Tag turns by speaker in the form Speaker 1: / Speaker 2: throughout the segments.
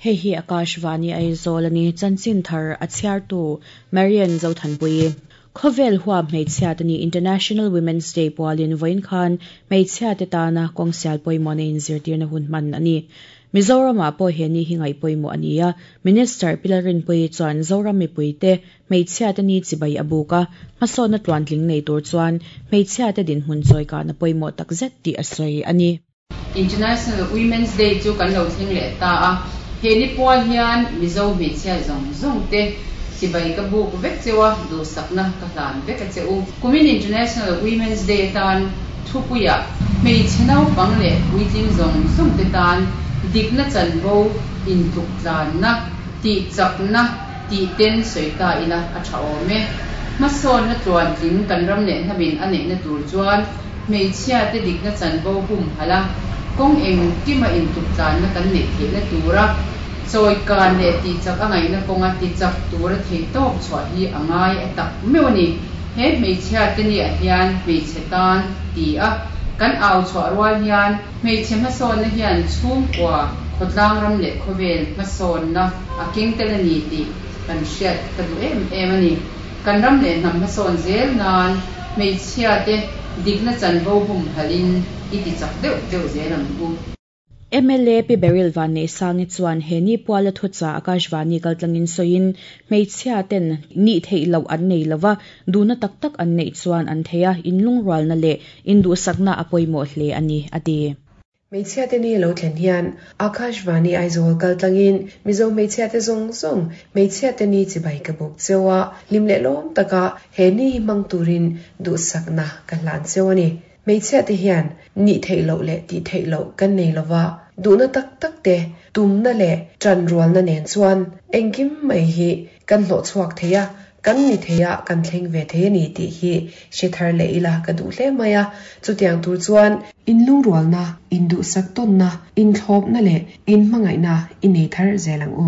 Speaker 1: Hei hi Akashvani Aizawl a ni, chanchin thar a chhiartu Marian Zothanpuii. Khawvel huap hmeichhia te ni International Women's Day pualin vawiin khan hmeichhia te tana kawng sial pawimawhna inzirtirna hun hman a ni. Mizoramah pawh he ni hi ngaih pawimawh a ni a, Minister Pi Lalrinpuii chuan Zoram mipuite hmeichhia te ni chibai a buk a, hmasawnna tluantling nei tur chuan hmeichhia te dinhmun chawikahna pawimawh takzet tih a sawi a ni.
Speaker 2: International Women's Day chu kan lo thleng leh ta a, he ni pual hian Mizo hmeichhia zawng zawng te chibai ka buk vek cheu a, duhsakna ka hlan vek a che u. Kumin International Women's Day atan thupuiah hmeichhe naupang leh puitling zawng zawng te tan dikna chanvo intluk tlanna, tihchakna tih ten sawi ta ila a tha awm e. Hmasawnna tluantling kan ram leh hnamin a neihna tur chuan Hmeichhia te dikna chanvo humhalh a, kawng engkima intuktlanna kan neih theihna tura chawikan leh tihchak a ngaihna kawnga tichak tura theihtawp chhuah hi a ngai a tak meuh a ni. He hmeichhia te niah hian hmeichhe tan ti a kan au chhuah rual hian hmeichhe hmasawnna hian chhungkua, khawtlang ram leh khawvel hmasawnna a keng tel a ni tih kan hriat ka duh em em a ni. Kan ram leh hnam hmasawn zel nan hmeichhia te dikna chanvo humhalhin i ti chak deuh deuh zel ang u.
Speaker 1: Mla Pi Beryl Vanneihsangi chuan he ni puala thuchah Akashvani kaltlangin sawiin hmeichhia ten nih theih loh an nei lova, duhna tak tak an neih chuan an thei a, inlungrualna leh induhsakna a pawimawh hle a ni, a ti.
Speaker 3: Hmeichhia te ni lo thlen hian Akashvani Aizawl kal tlangin Mizo hmeichhia te zawng zawng hmeichhia te ni chibai ka buk cheu a, hlim leh lawm taka he ni hi hmang turin duhsakna ka hlan cheu a ni. Hmeichhia te hian nih theih loh leh tih theih loh kan nei lova, duhna tak tak te, tumna leh tanrualna nen chuan engkim mai hi kan hlawhchhuak thei a, Kan ni thei a, kan thleng ve thei a ni tih hi hre thar leh ila ka duh hle mai a. Chutiang tur chuan. Inlungrualna, induhsak tawnna, inthlawpna leh inhmangaihna i nei thar zel ang u.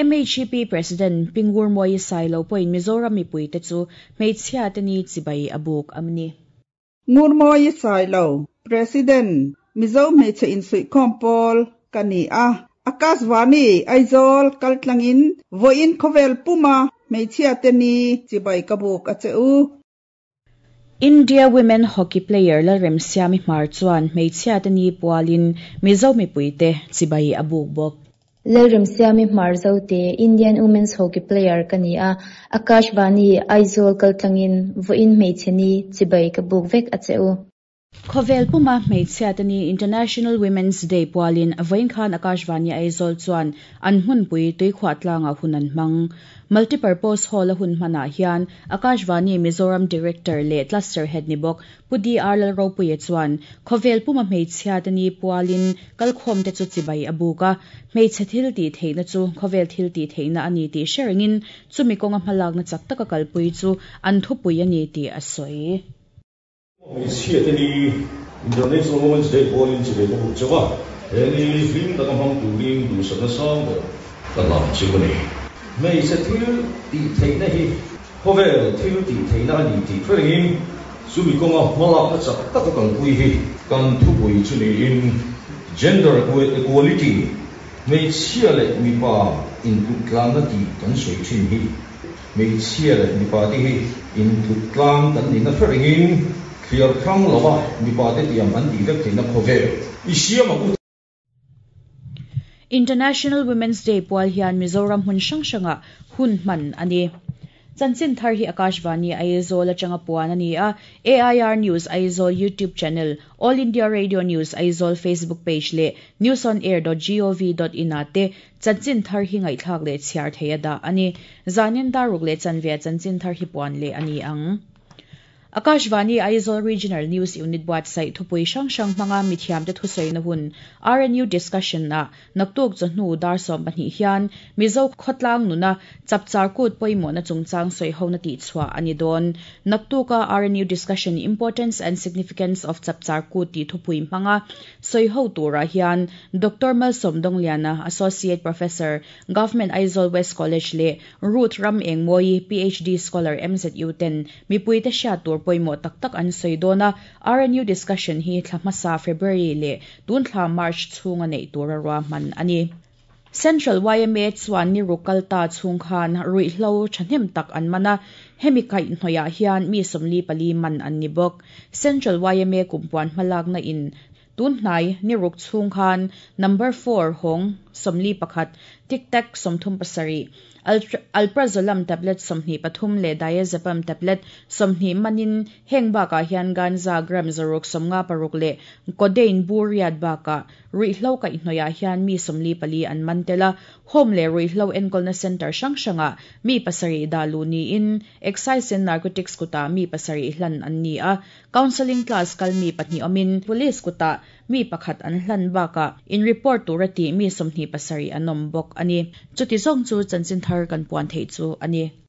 Speaker 1: MHP President Pi Ngurmawii Sailo pawhin Mizoram mipuite chu hmeichhiate ni chibai a buk a ni.
Speaker 4: Ngurmawii Sailo, President, Mizo Hmeichhe Insuihkhawm Pawl ka ni a. Akashvani, Aizawl kaltlangin vawiin khawvel puma hmeichhiate ni chibai ka buk a che u.
Speaker 1: India Women Hockey player Lalremsiami Hmar chuan hmeichhiate ni pualin Mizo mipuite chibai a buk bawk.
Speaker 5: Lalremsiami Hmar Zote, Indian Women's Hockey player ka ni a, Akashvani, Aizawl kaltlangin vawiin hmeichhe ni chibai ka buk vek a che u.
Speaker 1: Khawvel puma hmeichhiate ni International Women's Day pualin vawiin khan Akashvani Aizawl chuan an hmunpui tuikhuah tlangah hun an hmang. Multipurpose Hall a hun hmanah hian Akashvani Mizoram Director leh Cluster Head ni bawk Pu DR Lalropuia chuan khawvel puma hmeichhia te ni pualin kalkhawmte chu chibai a buk a, hmeichhe thil tih theihna chu khawvel thil tih theihna a ni tih hre rengin chumi kawnga hmalakna chak taka kalpui chu an thupui a ni tih a sawi.
Speaker 6: Hmeichhia te ni International Women's Day pualin chibai ka buk chauh a, he ni hlim taka hmang turin duhsakna sang ber ka hlan chu a ni. Hmeichhe thil tih theihna hi Khawvel thil tih theihna a ni tih hre rengin chumi kawnga hmalakna chak taka kalpui hi kan thupui chu niin Gender Equality, hmeichhia leh mipa intluk tlanna tih kan sawi thin hi hmeichhia leh mipa te hi intluk tlang kan nihna hre rengin thliar hrang lova mipa te tiang an tih vek theihna khawvel i siam ang u.
Speaker 1: International Women's Day pual hian Mizoram hmun hrang hrangah hun hman a ni. Chanchin thar hi Akashvani Aizawl atanga puan a ni a, AIR News Aizawl YouTube channel, All India Radio News Aizawl Facebook page leh newsonair.gov.in ah te chanchin thar hi ngaihthlak leh chhiar theih a dah a ni. Zanin daruk leh chanve ah chanchin thar hi puan leh a ni ang. Akashvani Aizawl Regional News Unit buatsaih thupui hrang hrang hmanga mithiamte thusawina hun RNU Discussion ah naktuk chawhnu dar 12 hian Mizo khawtlang nuna chapchar kut pawimawhna chungchang sawihona tihchhuah a ni dawn. Naktuka RNU Discussion Importance and Significance of Chapchar Kut tih thupui hmanga sawiho turah hian Doctor Malsawm Dongliana, Associate Professor, Government Aizawl West College leh Ruth Ram Engmawi, PhD Scholar MZU ten mipuite hriat tur pawimawh tak tak an sawi dawn a, RNU discussion hi thla hmasa February leh tun thla March chhunga neih tura ruahman a ni. Central yma chuan ni ruk kal ta chhung khan ruihhlo thahnem tak an man a, hemi kaihhnawih ah hian mi 44 man an ni bawk. Central yma kumpuan hmalakna in tunhnai ni ruk chhung khan number 4 hawng 41, tic tac 37, alprazolam tablet 23 leh diazepam tablet 20 manin heng bakah hian ganja gram 156 leh codeine bur riat bakah ruihhlo kaihhnawih ah hian mi 44 an man tel a, home leh ruihhlo enkawlna center hrang hrangah mi 7 dah luh niin excise and narcotics kutah mi 7 hlan an ni a, counselling class kal mi 2 awmin police kutah mi 1 an hlan bakah in report tura tih mi 27 an awm bawk ani. Chuti zawng chu chanchin thar kan puan theih chu ani.